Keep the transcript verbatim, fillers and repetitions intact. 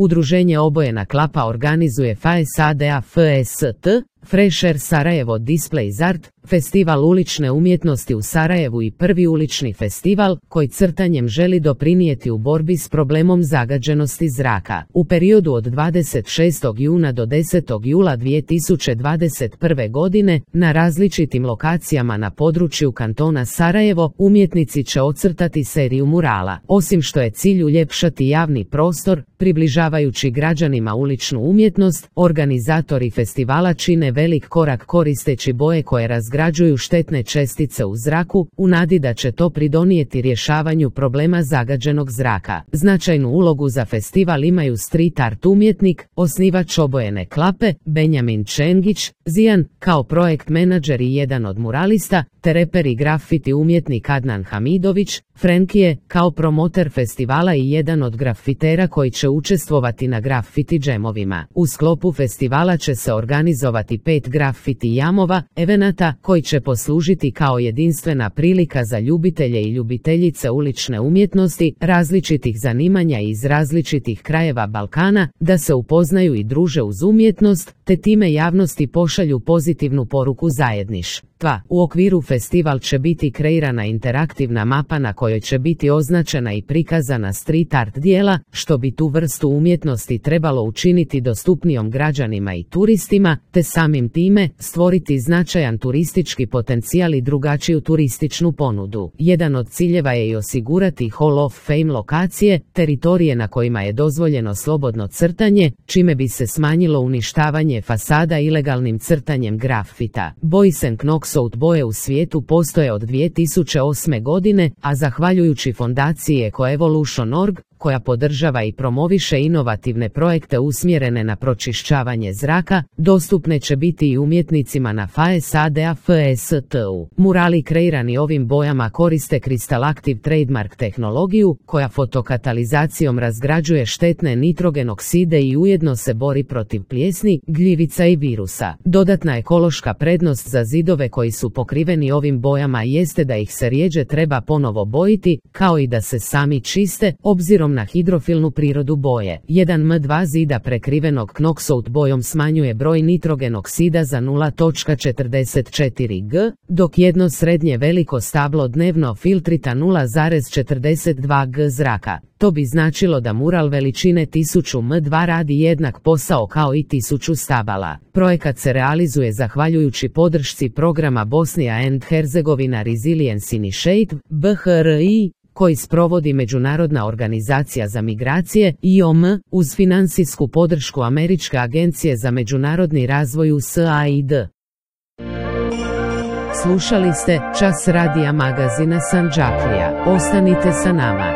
Udruženje Obojena klapa organizuje FASADA-FST, Fresher Sarajevo Displays Art, festival ulične umjetnosti u Sarajevu i prvi ulični festival koji crtanjem želi doprinijeti u borbi s problemom zagađenosti zraka. U periodu od dvadeset šestog juna do desetog jula dvije tisuće dvadeset prve. godine na različitim lokacijama na području kantona Sarajevo umjetnici će ocrtati seriju murala. Osim što je cilj uljepšati javni prostor, približavajući građanima uličnu umjetnost, organizatori festivala čine velik korak koristeći boje koje razgrađuju štetne čestice u zraku, u nadi da će to pridonijeti rješavanju problema zagađenog zraka. Značajnu ulogu za festival imaju street art umjetnik, osnivač Obojene klape, Benjamin Čengić, Zijan, kao projekt menadžer i jedan od muralista, te reper i grafiti umjetnik Adnan Hamidović, Frenkije, kao promoter festivala i jedan od grafitera koji će učestvovati na grafiti džemovima. U sklopu festivala će se organizovati pet grafiti jamova, evenata koji će poslužiti kao jedinstvena prilika za ljubitelje i ljubiteljice ulične umjetnosti, različitih zanimanja i iz različitih krajeva Balkana, da se upoznaju i druže uz umjetnost, te time javnosti pošalju pozitivnu poruku zajedništva. U okviru festival će biti kreirana interaktivna mapa na kojoj će biti označena i prikazana street art dijela, što bi tu vrstu umjetnosti trebalo učiniti dostupnijom građanima i turistima, te samim time stvoriti značajan turistički potencijal i drugačiju turističnu ponudu. Jedan od ciljeva je i osigurati Hall of Fame lokacije, teritorije na kojima je dozvoljeno slobodno crtanje, čime bi se smanjilo uništavanje fasada ilegalnim crtanjem grafita. Boys and Knockouts boje u svijetu postoje od dvije tisuće osme. godine, a zahvaljujući fondaciji Ecoevolution dot org, koja podržava i promoviše inovativne projekte usmjerene na pročišćavanje zraka, dostupne će biti i umjetnicima na FASADA-FST-u. Murali kreirani ovim bojama koriste Crystal Active trademark tehnologiju, koja fotokatalizacijom razgrađuje štetne nitrogen okside i ujedno se bori protiv plijesni, gljivica i virusa. Dodatna ekološka prednost za zidove koji su pokriveni ovim bojama jeste da ih se rjeđe treba ponovo bojiti, kao i da se sami čiste, obzirom na hidrofilnu prirodu boje. jedan em dva zida prekrivenog Knocksout bojom smanjuje broj nitrogen oksida za nula zarez četrdeset četiri grama, dok jedno srednje veliko stablo dnevno filtrita nula zarez četrdeset dva grama zraka. To bi značilo da mural veličine tisuću em dva radi jednak posao kao i tisuću stabala. Projekat se realizuje zahvaljujući podršci programa Bosnia and Herzegovina Resilience Initiative, B H R I, koji sprovodi Međunarodna organizacija za migracije, I O M, uz financijsku podršku Američke agencije za međunarodni razvoj U S A I D. Slušali ste Čas radija magazina Sandžaklija. Ostanite sa nama.